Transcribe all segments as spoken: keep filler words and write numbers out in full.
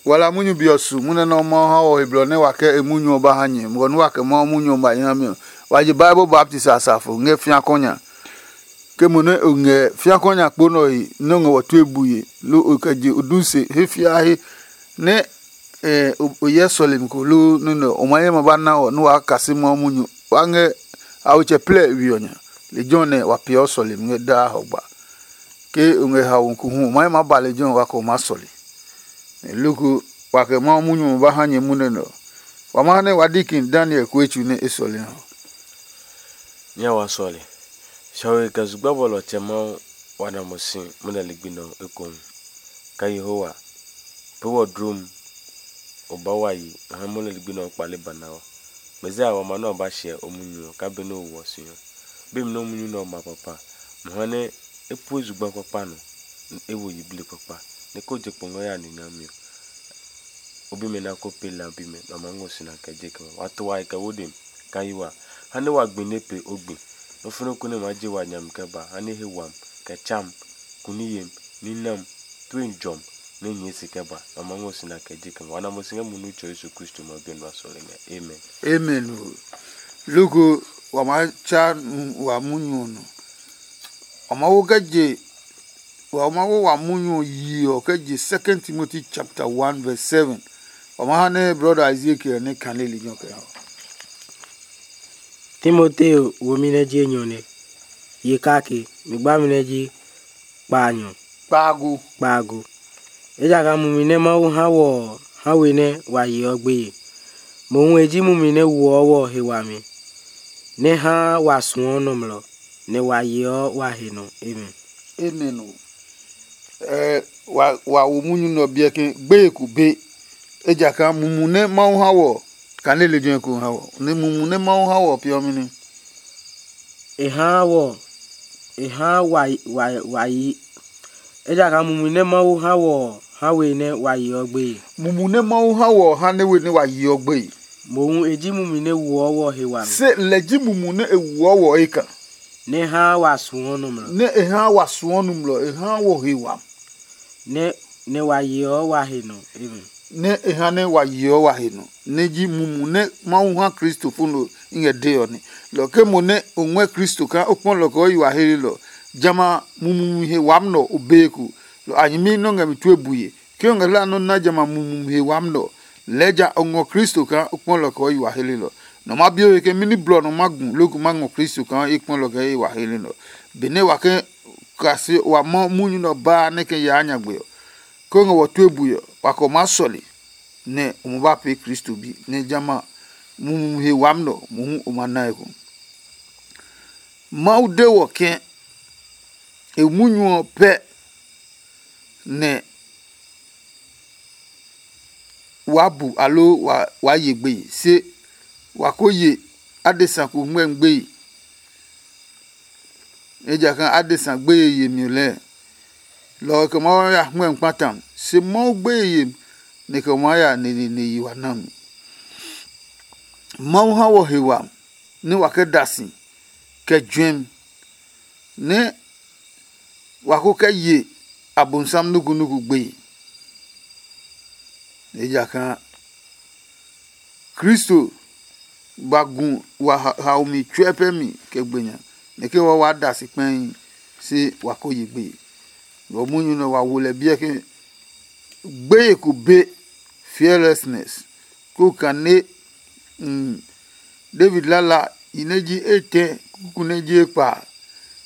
Wala munyu be ɔ su munyu nɛ Mawu ha wɔ he blɔ nɛ wa kɛ e munyu ɔ ba ha nyɛ, bɔ nɛ wa kɛ Mawu munyu ɔ ba hi ha mi ɔ, wa je Bible baptist asafo ngɛ fĩa kɔnya. Ke mo nɛ o ngɛ fĩa kɔnya kpo nɛ ɔ he nɛ o ngɛ wɔ tue bue, loo o kɛ je o du se he fiahi nɛ o hyɛ sɔlemi ko loo nɔ́ nɛ ɔ, o ma ye ma ba na ɔ nɛ waa kasɛ Mawu munyu. Wa ngɛ awetsɛ plɛ we ɔ nya. Lejɛ ɔ nɛ wa peeɔ sɔlemi ngɛ daa hɔgba. Ke o ngɛ haomi ko hu, o ma ye ma ba lejɛ ɔ, wa kɛ o maa sɔle. Nɛ loko wa kɛ Mawu munyu ɔ ba ha nyɛ munyu nɛ ɔ, wa ma ha nɛ wa di kin Daniel ko etsu nɛ e sɔle ɔ. Nyɛ wa sɔle. Hiɔwe kɛ zugba bɔlɔ tsɛ Mawu wa na mo si munyu ligbi nɛ ɔ ekohu. Ka Yehowa, pee wɔ dlom, o ba wa yi ngɛ ha munyu ligbi nɛ ɔ kpale ba na ɔ. Mɛzia wa ma nɛ ɔ ba hyɛ o munyu ɔ kaa benɛ o wɔ si ɔ. Be mi nɛ o munyu nɛ ɔ ma kpakpa, mo ha nɛ e pue zugba kpakpa nɔ, nɛ e wo yiblii kpakpa, nɛ ko je kpo ngɛ ya nine ɔ mi ɔ, o bimɛ nɛ a ko pee la bimɛ, nɛ a maa ngɔ si na kɛ je kɛ ma. Wa to wa he kɛ wo demi, ka yi wa, ha nɛ wa gbi nɛ pe o gbi. Nɔ́ fɛnɛ ko nɛ maa je wa nyami kɛ ba, ha nɛ he wami, kɛ tsam, kuni yem, ninam, tue jɔmi, nɛ nyɛɛ si kɛ ba, nɛ a maa ngɔ si na kɛ je kɛ ma. Wa na mo si ngɛ munyu Tsɛ Yesu Kristo ma bi ɔ nɔ a sɔle ngɛ. Amen. Amen o. Loko wa maa tsa wa munyu ɔ nɔ. Wa maa wo kɛ je wa maa wo wa munyu ɔ yi ɔ kɛ je Second Timothy chapter one verse seven. Wa maa ha nɛ brother Ezekiel nɛ kane lejɛ ɔ kɛ ha. Timoteo womi nɛ ji enyɔ nɛ, ye kake, mi gbami nɛ ji kpaanyɔ. Kpaago. Kpaago. Ejakaa mumi nɛ Mawu ha wɔ ɔ ha we nɛ wa yeɔ gbeye. Mohu e ji mumi nɛ woɔ wɔ he wami, nɛ haa wa suɔ nɔmlɔ, nɛ wa yeɔ wa he nɔ. Amen. Amen o. Ɛ wa wa wo munyu nɛ ɔ biɛ ke gbeye ko be. Ejakaa mumu nɛ Mawu ha wɔ ɔ, kane lejɛ ko ha wɔ. Nɛ mumu nɛ Mawu ha wɔ ɔ peeɔ mɛni? E haa wɔ e haa wa wa wa yi. Ejakaa mumi nɛ Mawu ha wɔ ɔ ha we nɛ wa yeɔ gbeye. Mumu nɛ Mawu ha wɔ ɔ ha nɛ we nɛ wa yeɔ gbeye. Mohu e ji mumi nɛ woɔ wɔ he wami. Se lɛ ji mumu nɛ e woɔ wɔ eka. Nɛ e haa wa suɔ nɔmlɔ. Nɛ e haa wa suɔ nɔmlɔ, e haa wɔ he wami. Nɛ nɛ wa yeɔ wa he nɔ. Amen. Nɛ e ha nɛ wa yeɔ wa he nɔ, nɛ ji mumu nɛ Mawu ha Kristo fo nɔ i ngɛ dee ɔ nɛ. Lɔ ke mo nɛ o ngɔɛ Kristo kaa o kpɔ lɔ kɛ o yi wa helelɔ, jamɛ a mumi he wami nɛ o bee ko. Lɔ a nyɛmi nɔ́ ngɛ mi tue bue. Ke o ngɛ hlaa nɔ́ na jamɛ a mumi he wami nɛ ɔ, lɛɛ ja o ngɔ Kristo kaa o kpɔ lɔ kɛ o yi wa helelɔ. Nɔ ma bi o he ke mɛni blɔ nɔ ma gu loko ma ngɔ Kristo kaa e kpɔ lɔ kɛ e yi wa helelɔ. Benɛ wa ke kase wa mɔ munyu nɛ ɔ baa nɛ kɛ yaa nyagbe ɔ, ke o ngɛ wɔ tue bue ɔ, wa kɛ o maa sɔle, nɛ o ma ba pee Kristo bi, nɛ jamɛ a mumi he wami nɛ ɔ mohu o ma na eko. Mawu de wɔ ke e munyu ɔ pɛ nɛ waa bu aloo waa ye gbeye, se wa ko ye adesa ko ngmɛmi gbeye. Ejakaa adesa gbeye yemi ɔ lɛɛ, lɔ ɔ kɛ Mawu ya hmɛmi kpata mi, se Mawu gbeye yemi nɛ kɛ maa ya neneene yi wa na mi. Mawu ha wɔ he wami nɛ wa kɛ da si kɛ juɛmi, nɛ wa ko kɛ ye Abonsam nukunuku gbeye. Ejakaa Kristo ba gu wa haomi tsuɛ pɛ mi kɛ gbe nya, nɛ ke wa waa da si kpɛi, se wa ko ye gbeye. Lɔ munyu nɛ wa wo lɛ biɛ ke gbeye ko be, fearlessness, ko kane. David lala i nɛ ji etɛ kuku nɛ ji ekpa a,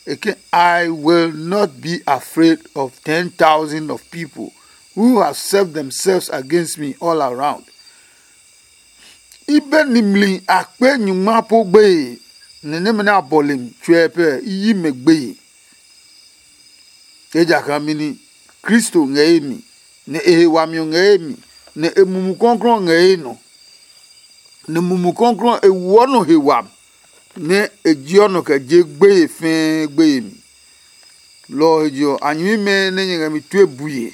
e ke, "I will not be afraid of ten thousand of people who have set themselves against me all around." I be nimli a kpe nyungma po gbeye, nɛ nɛmɛ nɛ a bɔle mi tsuɛ pɛ i yi mɛ gbeye. Ejakaa mɛni? Kristo ngɛ ye mi, nɛ e he wami ɔ ngɛ ye mi, nɛ e Mumi Klɔuklɔu ɔ ngɛ ye nɔ. Nɛ Mumi Klɔuklɔu ɔ e woɔ nɔ he wami, nɛ e jeɔ nɔ kɛ je gbeye fɛɛ gbeye mi. Lɔ ɔ he je ɔ, a nyɛmimɛ nɛ nyɛ ngɛ mi tue bue.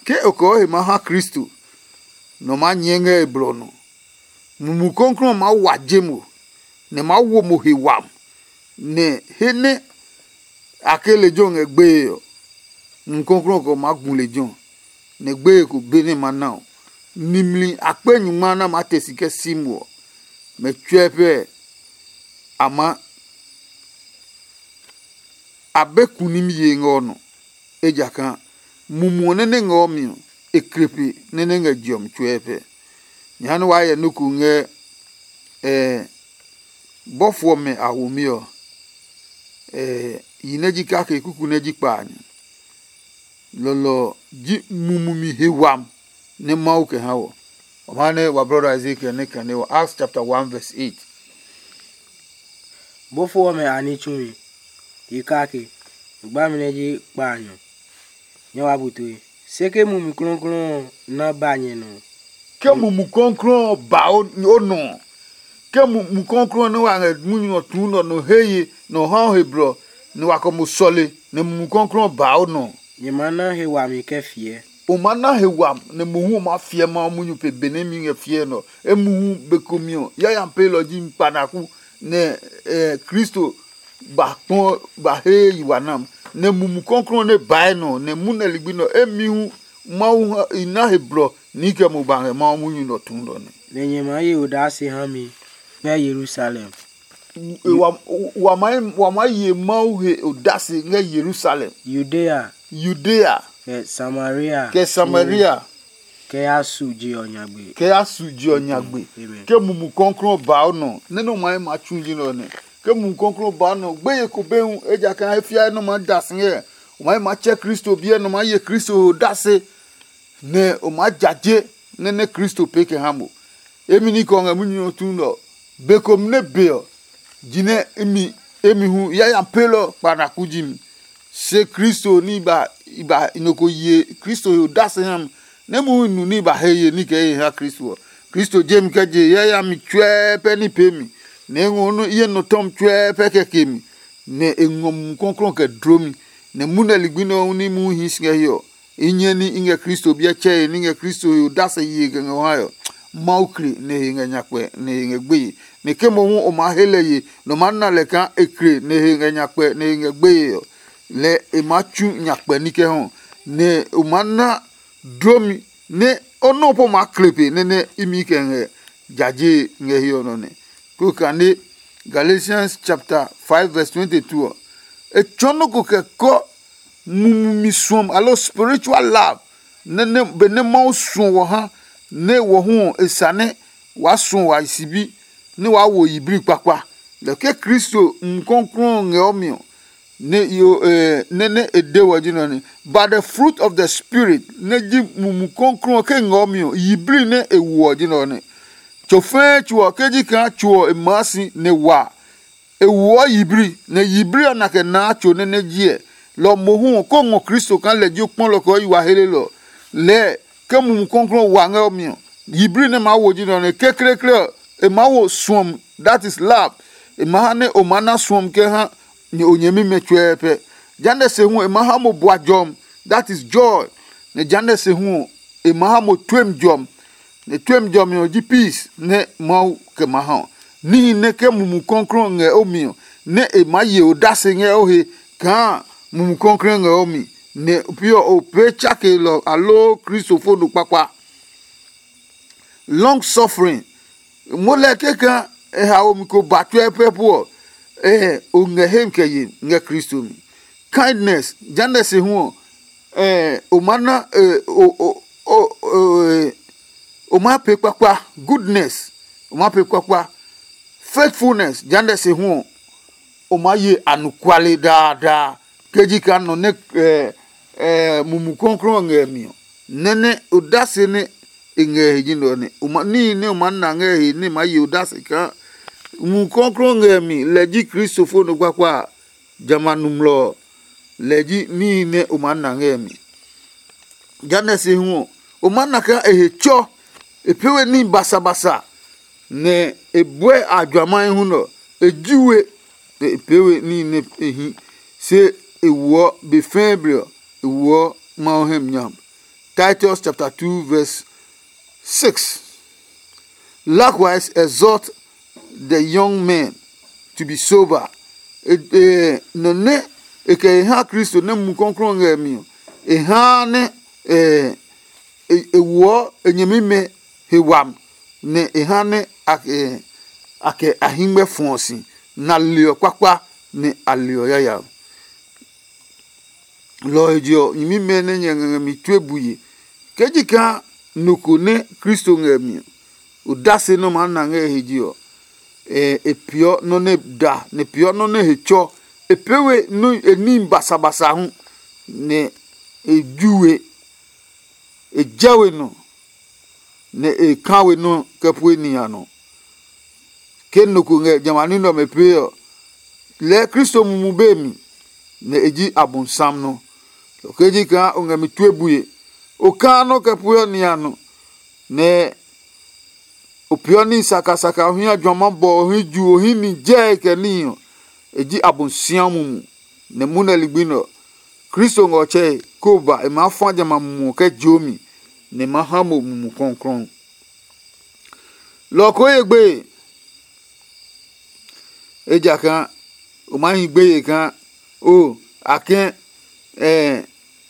Ke o kɛ o he maa ha Kristo, nɔ maa nyɛɛ ngɛ e blɔ ɔ nɔ. Mumi Klɔuklɔu ɔ maa wa je mo, nɛ e maa wo mo he wami, nɛ he nɛ a ke lejɛ ɔ ngɛ gbeye ɔ, Mumi Klɔuklɔu ɔ kɛ ɔ maa gu lejɛ ɔ, nɛ gbeye ko be nɛ e ma na ɔ, nimli akpe nyungma nɛ a maa te si kɛ si mo ɔ, mɛ tsuɛ pɛ a maa a be ku nimi ye ngɛ ɔ nɔ, ejakaa mumi ɔ nɛ nɛ ngɛ ɔ mi ɔ, e kle pe nɛ nɛ ngɛ je ɔ mi tsuɛ pɛ. Nyɛ ha nɛ waa hyɛ nɔ́ ko ngɛ ɛ bɔfo ɔmɛ a womi ɔ, ɛ yi nɛ ji kake kuku nɛ ji kpa a nya. Lɔlɔ ɔ ji mumi he wami nɛ Mawu kɛ ha wɔ. Wa maa nɛ wa brɔda Ezekiel nɛ kane wɔ Acts chapter one verse eight. Bɔfo ɔmɛ a ní tsumi, yi kake, gbami nɛ ji kpa a nyɔ. Nyɛ wa bu tue. Se ke Mumi Klɔuklɔu ɔ na ba nyɛ nɔ ɔ, ke Mumi Klɔuklɔu ɔ ba o nɔ ɔ, ke Mumi Klɔuklɔu ɔ nɛ wa ngɛ munyu ɔ tuu nɔ nɔ he ye nɔ ha o he blɔ, nɛ wa kɛ mo sɔle, nɛ Mumi Klɔuklɔu ɔ ba o nɔ ɔ, nyɛ maa na he wami kɛ fiɛ. O maa na he wami, nɛ mohu o maa fiɛ Mawu munyu pe benɛ imi ngɛ fiɛ nɛ ɔ. Emuhu be komi ɔ, yayami peelɔ ji mi kpanaku, nɛ eh, Kristo ba kpɔ ba he yi wa nam, nɛ Mumi Klɔuklɔu nɛ bae nɔ, nɛ munɛ ligbi nɔ emi hu Mawu ha i na he blɔ ni kɛ mo ba ngɛ Mawu munyu nɔ tuu nɔ nɛ. Nɛ nyɛ maa ye odase ha mi ngɛ Yerusalem, E, wa, wa maa wa maa ye Mawu he odase ngɛ Yerusalem, Yudea, Yudea, kɛ Samaria, kɛ Samaria, kɛ ya su je ɔ nyagbe. Kɛ ya su je ɔ nyagbe. Amen. Ke Mumi Klɔuklɔu ba o nɔ, nɛ nɔ maa ma tsu ji nɔ nɛ. Ke Mumi Klɔuklɔu ba o nɔ, gbeye ko be hu, ejakaa e fiae nɔ maa da si ngɛ, o maa ma tsɛ Kristo biɛ nɔ maa ye Kristo he odase, nɛ o maa jaje nɛ nɛ Kristo pee kɛ ha mo. Emi ní kɛ ɔ ngɛ munyu ɔ tu nɛ ɔ, be komɛ nɛ be ɔ, jinɛ imi emi hu yayami pelɔ kpanaku ji mi. Se Kristo ní ba ba nɔ ko ye Kristo he odase ha mi, nɛ mohu nu ní ba he ye ní kɛ ye ha Kristo ɔ. Kristo je mi kɛ je yayami tsuɛ pɛ ní pee mi, nɛ e ngɔ nɔ iye nɔ tɔmi tsuɛ pɛ kɛ ke mi, nɛ e ngɔ Mumi Klɔuklɔu kɛ dlo mi, nɛ munɛ ligbi nɛ ɔ hu ní muhi hi si ngɛ hiɛ ɔ, i nyɛ ní i ngɛ Kristo biɛ tsɛe ní ngɛ Kristo he odase ye kɛ ngɛ o hae ɔ, Mawu kle nɛ he ngɛ nyakpɛ nɛ he ngɛ gbeye. Nɛ ke mohu o maa he lɛ ye, nɔ maa na lɛ kaa e kle nɛ he ngɛ nyakpɛ nɛ he ngɛ gbeye ɔ, lɛ e maa tsu nyakpɛ ní kɛ hɔ, nɛ o maa na dlomi nɛ o nɔ po maa kle pe nɛ nɛ imi kɛ ngɛ jaje ngɛ hiɛ ɔ nɔ nɛ. Ko kane Galatians chapter five verse twenty-two ɔ, e tsɔɔ nɔ́ ko kɛ kɔ mumi suɔm alo spiritual love nɛ nɛ benɛ Mawu suɔ wɔ ha nɛ wɔ hu ɔ e sa nɛ waa suɔ wa sibi nɛ waa wo yiblii kpakpa. Lɛ ke Kristo Mumi Klɔuklɔu ɔ ngɛ ɔ mi ɔ, nɛ yo eh, nɛ nɛ e de wɔ ji nɔ ni, but the fruit of the spirit nɛ ji Mumi Klɔuklɔu ɔ ke ngɛ ɔ mi ɔ, yiblii nɛ e woɔ ji nɔ ni. Tso fɛɛ tso ɔ ke ji kaa tso ɔ e maa si nɛ wa e woɔ yiblii, nɛ yiblii ɔ na kɛ naa tso nɛ nɛ jiɛ. Lɔ mohu ɔ ko ngɔ Kristo kaa lɛ ji o kpɔlɔ kɛ o yi wa helelɔ. Lɛɛ ke Mumi Klɔuklɔu wa ngɛ o mi ɔ, yiblii nɛ maa wo ji nɛ ɔ nɛ kekleekle ɔ, e maa wo suɔmi, that is love. E maa ha nɛ o maa na suɔmi kɛ ha nyɛ o nyɛmimɛ tsuɛɛ pɛ. Jehanɛ se hu e maa ha mo bua jɔmi, that is joy. Nɛ jehanɛ se hu ɔ, e maa ha mo tuemi jɔmi. Nɛ tuemi jɔmi ɔ ji peace nɛ Mawu kɛ ma ha ɔ. Níhi nɛ ke Mumi Klɔuklɔu ngɛ o mi ɔ, nɛ e maa ye odase ngɛ o he kaa Mumi Klɔuklɔu ngɛ o mi, nɛ pi ɔ o pee tsakelɔ aloo Kristo fo no kpakpa. Long suffering, mo lɛ keka e haomi ko ba tsuɛ pɛ pu ɔ, eh, o ngɛ hem kɛ ye ngɛ Kristo mi. Kindness, jehanɛ se hu ɔ, eh, o ma na eh, o, o, o, o, eh, o ma pee kpakpa. Goodness, o ma pee kpakpa. Faithfulness, jehanɛ se hu ɔ, o ma ye anɔkuale daadaa. Ke ji kaa nɔ nɛ eh, eh, Mumi Klɔuklɔu ɔ ngɛ mi ɔ, nɛ nɛ odase nɛ e ngɛ he ji nɛ ɔ nɛ o ma níhi nɛ o ma na ngɛ he nɛ ma ye odase kaa Mumi Klɔuklɔu ngɛ mi, lɛ ji Kristo fo nɔ kpakpa a, jamɛ a nɔmlɔ ɔ, lɛ ji níhi nɛ o ma na ngɛ mi. Jehanɛ se hu ɔ, o ma na kaa e he tsɔ, e pee we níhi basabasa, nɛ e buɛ a juamahi hu nɛ ɔ, e ji we, nɛ e pee we níhi nɛ e hi, se e woɔ be fɛɛ blɛ ɔ, e woɔ Mawu hɛ mi nyam. Titus chapter two verse six. Likewise, exhort the young men to be sober. E, e, nɔ nɛ e kɛ e ha Kristo nɛ Mumi Klɔuklɔu ngɛ mi ɔ, e haa nɛ e, e woɔ e nyɛmimɛ he wami, nɛ e ha nɛ a kɛ a hɛngmɛ fɔɔ si, nɛ a leɔ kpakpa, nɛ a leɔ yayami. Lɔ ɔ he je ɔ, nyɛmimɛ nɛ nyɛ ngɛ ngɛ mi tue bue. Ke ji kaa nɔ ko nɛ Kristo ngɛ mi ɔ, odase nɛ o maa na ngɛ e he je ɔ, e peeɔ nɔ́ nɛ da, nɛ e peeɔ nɔ́ nɛ he tsɔ. E pee we e níhi basabasa hu, nɛ e ju we, e jɛ we nɔ, nɛ e ka we nɔ́ kɛ pue nihi a nɔ. Ke nɔ ko ngɛ jamɛ a ní nɛ ɔmɛ pee ɔ, lɛɛ Kristo mumu be mi, nɛ e ji Abosiam nɔ. Lɔ ke ji kaa o ngɛ mi tue bue, o kaa nɔ́ kɛ pue ɔ nihi a nɔ, nɛ o peeɔ níhi sakasaka, o hia juama bɔ, o hii ju, o hii ni jɛe kɛ níhi ɔ, e ji Abosiam mumu. Nɛ munɛ ligbi nɛ ɔ, Kristo ngɛ ɔ tsɛe, kó o ba e maa fa jamɛ a mumu ɔ kɛ joomi, nɛ e maa ha mo mumi kɔklɔɔ. Lɔ ɔ koo ye gbeye, ejakaa o maa hi gbeye kaa o a kɛ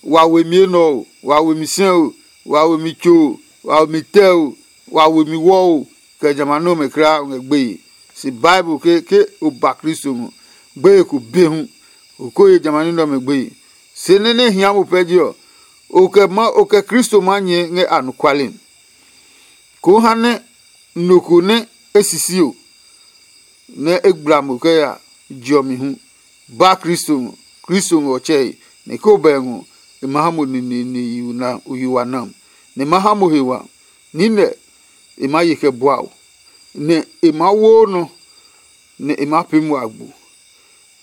wa we mi enɛ o, wa we mi sɛ o, wa we mi tso o, wa we mi tɛ o, wa we mi wɔ o, kɛ jamɛ a nɔmɛ kulaa o ngɛ gbeye. Se Bible ke ke o ba Kristo ngɔ, gbeye ko be hu, o ko ye jamɛ a ní nɛ ɔmɛ gbeye. Se nɛ nɛ hia mo pɛ je ɔ, o kɛ ma o kɛ Kristo maa nyɛɛ ngɛ anɔkuale mi. Koo ha nɛ nɔ ko nɛ e sisi o, nɛ e gbla mo kɛ ya je ɔ mi hu, ba Kristo ngɔ. Kristo ngɔ ɔ tsɛe, nɛ ke o bɛ ngɔ, e ma ha mo neneene yi wa nam, nɛ e ma ha mo he wa. Niinɛ e maa ye kɛ bua o, nɛ e maa woo nɔ, nɛ e maa pee mo agbo,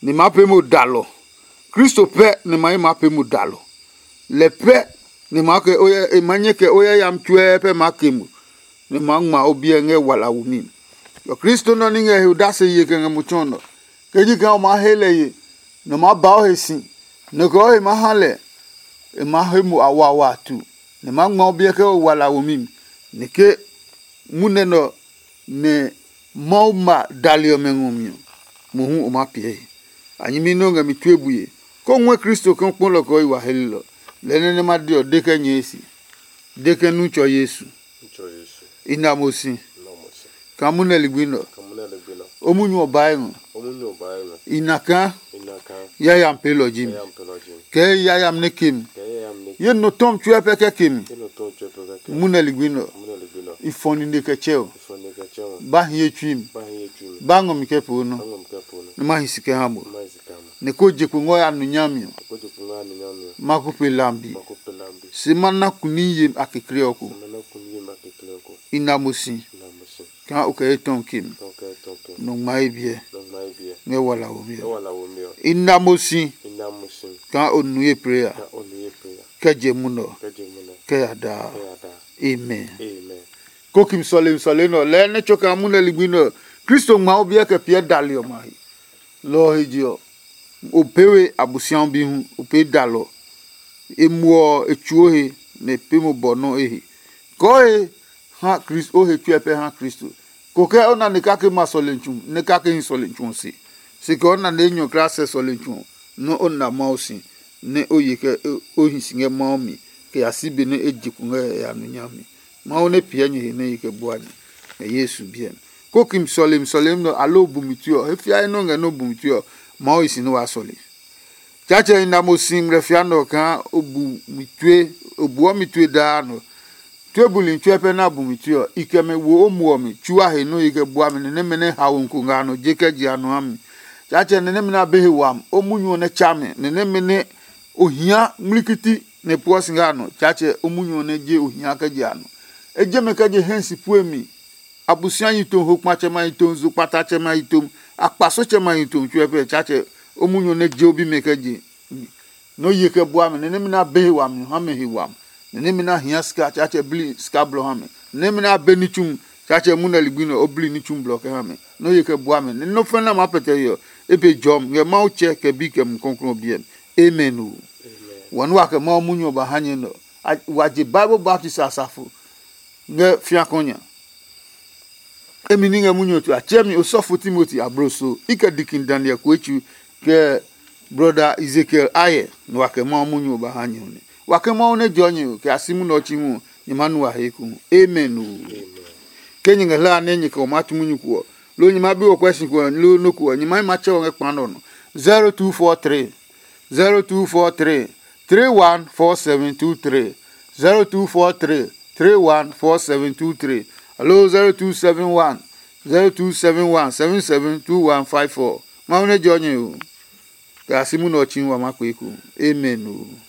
nɛ e maa pee mo dalɔ. Kristo pɛ nɛ ma ye maa pee mo dalɔ. Lɛ pɛ nɛ ma kɛ e ma nyɛ kɛ o yayami tsuɛ pɛ maa ke mo, nɛ ma ngma o biɛ ngɛ walawo mi. Ɔ Kristo nɔ ní ngɛ he odase ye kɛ ngɛ mo tsɔ nɔ. Ke ji kaa o maa he lɛ ye, nɛ o maa ba o he si, nɛ kɛ o he maa ha lɛ, e maa he mo awawa tu, nɛ ma ngma o biɛ kɛ o walawo mi. Nɛ ke munɛ nɛ ɔ nɛ Mawu ma dali ɔmɛ ngɔ mi ɔ, mohu o maa piɛ he. A nyɛmi nɛ o ngɛ mi tue bue, kó ngɔɛ Kristo ke o kpɔlɔ kɛ o yi wa helelɔ. Lɛɛ nɛ nɛ ma de ɔ, de kɛ nyɛɛ si, de kɛ nu tsɔ Yesu. I na mo si kaa munɛ ligbi nɛ ɔ, o munyu ɔ bae ngɔ. I na kaa yayami pelɔ ji mi. Kɛ yayami nɛ ke mi. Ye nɔ tɔmi tsuɛ pɛ kɛ ke mi. Munɛ ligbi nɛ ɔ, i fɔ nine kɛ tsɛ o. Ba hiye tsui mi. Ba ngɔ mi kɛ poo nɔ, nɛ ma hi si kɛ ha mo. Nɛ ko je kpo ngɔ ya nu nyami ɔ, ma ko pe lambi. Se ma na kuni yem a kekle ɔ ko. I na mo si kaa o kɛ ye tɔmi ke mi. Nɔ ngma ye biɛ ngɛ wala womi ɔ. I na mo si kaa o nu ye plee ya kɛ je munɔ kɛ ya daa. Amen. Kokim sɔlemi sɔlemi nɛ ɔ lɛɛ nɛ tso kaa munɛ ligbi nɛ ɔ, Kristo ngma o biɛ kɛ piɛ dali ɔmɛ a he. Lɔ ɔ he je ɔ, o pee we Abosiami bi hu, o pee dalɔ. E muɔ ɔ, e tsuo he, nɛ e pee mo bɔ nɔ́ e he. Kɔɔ he ha Kristo, o he tsuɛ pɛ ha Kristo. Ko kɛ o na nɛ kake ma sɔlemi tsu, nɛ kake hi sɔlemi tsu ɔ se. Se kɛ o na nɛ enyɔ kulaa sɛ sɔlemi tsu ɔ, nɔ́ o na Mawu si, nɛ o ye kɛ o hi si ngɛ Mawu mi, kɛ ya si be nɛ e je kpo ngɛ yayami nɔ nyami. Mawu nɛ piɛ nyɛ he nɛ ye kɛ bua nyɛ ngɛ Yesu biɛ mi. Kokim sɔlemi sɔlemi nɛ ɔ, aloo bumi tue ɔ, he fiae nɔ́ ngɛ nɔ́ bumi tue ɔ, Mawu hi si nɛ waa sɔle. Tsaatsɛ i na mo si ngmlɛfia nɛ ɔ kaa o bu mi tue, o buɔ mi tue daa nɔ. Tue buli tsuɛ pɛ nɛ a bu mi tue ɔ, i kɛ mɛ wo o muɔ mi, tsu a he nɔ́ ye kɛ bua mi, nɛ nɛmɛ nɛ haomi ko ngɛ a nɔ je kɛ je a nɔ ha mi. Tsaatsɛ nɛ nɛmɛ nɛ a be he wami, o munyu ɔ nɛ tsa mɛ, nɛ nɛmɛ nɛ o hia ngmlikiti nɛ pueɔ si ngɛ a nɔ, Tsaatsɛ o munyu ɔ nɛ je o hia kɛ je a nɔ. E je mɛ kɛ je hɛ si pue mi. Abosiami yi tom, hokpatsɛmɛ yi tom, zokpatatsɛmɛ yi tom, akpasotsɛmɛ yi tom tsuɛ pɛ, Tsaatsɛ o munyu ɔ nɛ je o bimɛ kɛ je. Nɔ ye kɛ bua mɛ, nɛ nɛmɛ nɛ a be he wami ha mɛ he wami, nɛ nɛmɛ nɛ a hia sika, Tsaatsɛ bli sika blɔ ha mɛ, nɛ nɛmɛ nɛ a be ní tsumi, Tsaatsɛ munɛ ligbi nɛ o bli ní tsumi blɔ kɛ ha mɛ. Nɔ ye kɛ bua mɛ, nɛ nɔ́ fɛnɛ nɛ a maa pɛtɛ he ɔ, e be jɔmi ngɛ Mawu Tsɛ kɛ Bi kɛ Mumi Klɔuklɔu ɔ biɛ mi. Amen o. Wɔ nɛ wa kɛ Mawu munyu ɔ ba ha nyɛ nɛ ɔ, wa je Bible baptist asafo ngɛ fiakɔ nya. Emi ní ngɛ munyu ɔ tue a tsɛ mi osɔfo Timoti abloso, i kɛ dikin Daniel Kuetsu, kɛ brɔda Ezekiel ayɛ, nɛ wa kɛ Mawu munyu ɔ ba ha nyɛ ɔ nɛ. Wa kɛ Mawu nɛ jɔ nyɛ ɔ, kɛ a si munɛ ɔ tsi hu ɔ, nyɛ ma nu a he eko. Amen o. Ke nyɛ ngɛ hla nɛ nyɛ kɛ o ma tu munyu ko ɔ, lo nyɛ ma bi o kwɛ si ko ɔ, lo no ko ɔ, nyɛ ma ma tsɛ o ngɛ kpa nɔ nɔ. zero two four three, zero two four three, three one four seven two three, zero two four three, three one four seven two three, alo zero two seven one, zero two seven one seven seven two one five four. Mawu nɛ jɔ nyɛ o. Kɛ a si munɛ ɔ tsi wa ma kpee ko. Amen o.